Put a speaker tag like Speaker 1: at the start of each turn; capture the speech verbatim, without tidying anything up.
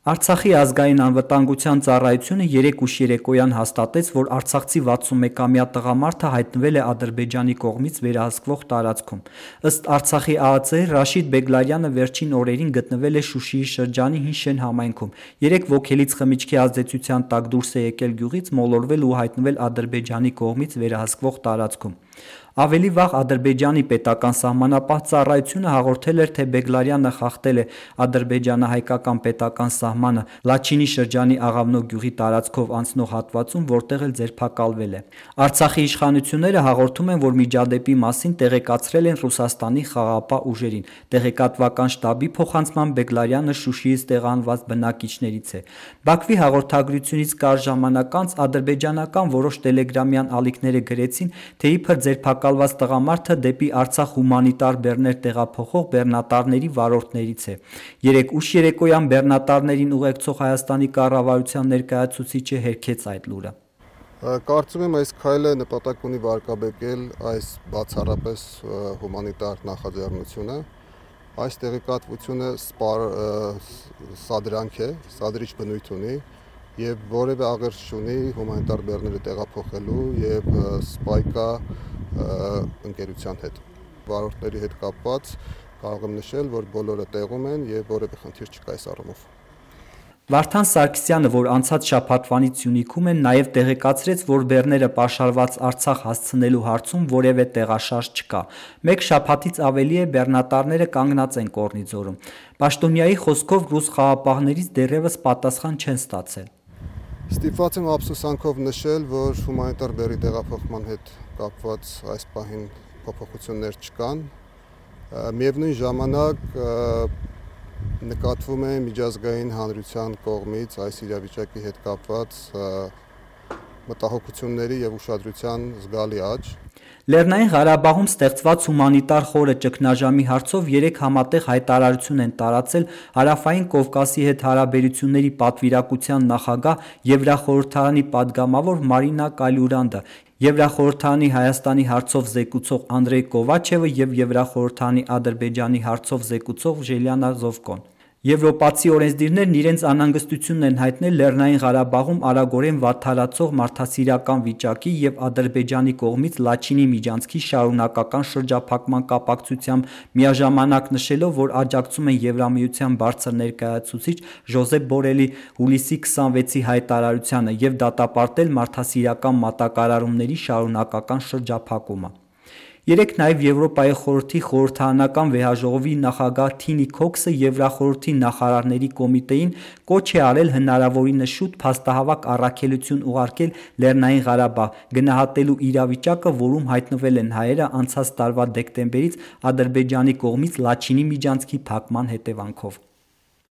Speaker 1: Արցախի ազգային անվտանգության ծառայությունը երեկ ուշ երեկոյան հաստատեց, որ արցախցի վաթսունմեկամյա տղամարդը հայտնվել է Ադրբեջանի կողմից վերահսկվող տարածքում։ Ըստ Արցախի ԱԱԾ-ի Ռաշիդ Բեգլարյանը վերջին օրերին գտնվել է Շուշիի շրջանի Հին Շեն համայնքում։ Երեկ ոգելից խմիչքի ազդեցության տակ դուրս է եկել գյուղից, մոլորվել ու հայտնվել Ադրբեջանի կողմից վերահսկվող տարածքում։ Ավելի վաղ Ադրբեջանի պետական սահմանապահ ծառայությունը հաղորդել էր, թե Բեգլարյանը խախտել է ադրբեջանահայկական պետական սահմանը Լաչինի շրջանի Աղավնո գյուղի տարածքով անցնող հատվածում, որտեղ էլ ձերբակալվել է։ Արցախի իշխանությունները հաղորդում են, որ միջադեպի մասին տեղեկացրել են Ռուսաստանի խաղաղապահ ուժերին։ Տեղեկատվական շտաբի փոխանցմամբ Բեգլարյանը Շուշիից տեղահանված բնակիչներից է։ Բաքվի հաղորդագրությունից կարճ ժամանակ անց ադրբեջանական որոշ տելեգրամյան ալիքները գրեցին, թե իբր ձերբակալված տղամարդը դեպի Արցախ հումանիտար բեռներ տեղափոխող բեռնատարների վարորդներից է։ Երեկ ուշ երեկոյան բեռնատարներին ուղեկցող Հայաստանի կառավարության ներկայացուցիչը հերքեց այդ լուրը։
Speaker 2: Կարծում եմ այս քայլը նպատակ ունի վարկաբեկել այս բացառապես հումանիտար նախաձեռնությունը։ Այս տեղեկատվությունը սադրանք է, սադրիչ բնույթ ունի եւ որևէ աղերս չունի հումանիտար բեռները տեղափոխելու եւ սպայկա ընկերության հետ։ Վարորդների հետ կապված կարող եմ նշել, որ բոլորը տեղում են եւ որևէ խնդիր չկա այս առումով։
Speaker 1: Վարդան Սարգսյանը, որ անցած շաբաթվանից Սյունիքում են, նաև տեղեկացրեց, որ բեռները պաշարված Արցախ հասցնելու հարցում որևէ տեղաշարժ չկա։ Մեկ շաբաթից ավելի է բեռնատարները կանգնած են Կորնիձորում։ Պաշտոնյայի խոսքով ռուս խաղաղապահներից դեռևս պատասխան չեն ստացել։
Speaker 2: Ստիպված եմ ափսոսանքով նշել, որ հումանիտար բեռի տեղափոխման հետ կապված այս պահին փոփոխություններ չկան։ Միևնույն ժամանակ նկատվում է միջազգային հանրության կողմից այս իրավիճակի հետ կապված մտահոգությունների եւ ուշադրության զգալի աճ։
Speaker 1: Լեռնային Ղարաբաղում ստեղծված հումանիտար խորը ճգնաժամի հարցով երեք համատեղ հայտարարություն են տարածել Հարավային Կովկասի հետ հարաբերությունների պատվիրակության նախագահ Եվրախորհրդարանի падգամավոր Մարինա Կալյուրանդը, Եվրախորհրդարանի Հայաստանի հարցով զեկուցող Անդրեյ Կովաչևը եւ Եվրախորհրդարանի Ադրբեջանի հարցով զեկուցող Ժելիանա Զովկոն։ Եվրոպացի օրենսդիրներն իրենց անհանգստությունն են հայտնել Լեռնային Ղարաբաղում արագորեն վատթարացող մարդասիրական վիճակի եւ Ադրբեջանի կողմից Լաչինի միջանցքի շարունակական շրջափակման կապակցությամբ, միաժամանակ նշելով, որ աջակցում են Եվրամիության բարձր ներկայացուցիչ Ժոզեփ Բորելի հուլիսի քսանվեցի հայտարարությանը եւ դատապարտել մարդասիրական մատակարարումների շարունակական շրջափակումը։ Երեկ նաև Եվրոպայի խորհրդի խորհրդարանական վեհաժողովի նախագահ Թինի Քոքսը Եվրախորհրդի նախարարների կոմիտեին կոչ է արել հնարավորինս շուտ փաստահավաք առաքելություն ուղարկել Լեռնային Ղարաբաղ, գնահատելու իրավիճակը, որում հայտնվել են հայերը անցած տարվա դեկտեմբերից Ադրբեջանի կողմից Լաչինի միջանցքի փակման հետևանքով։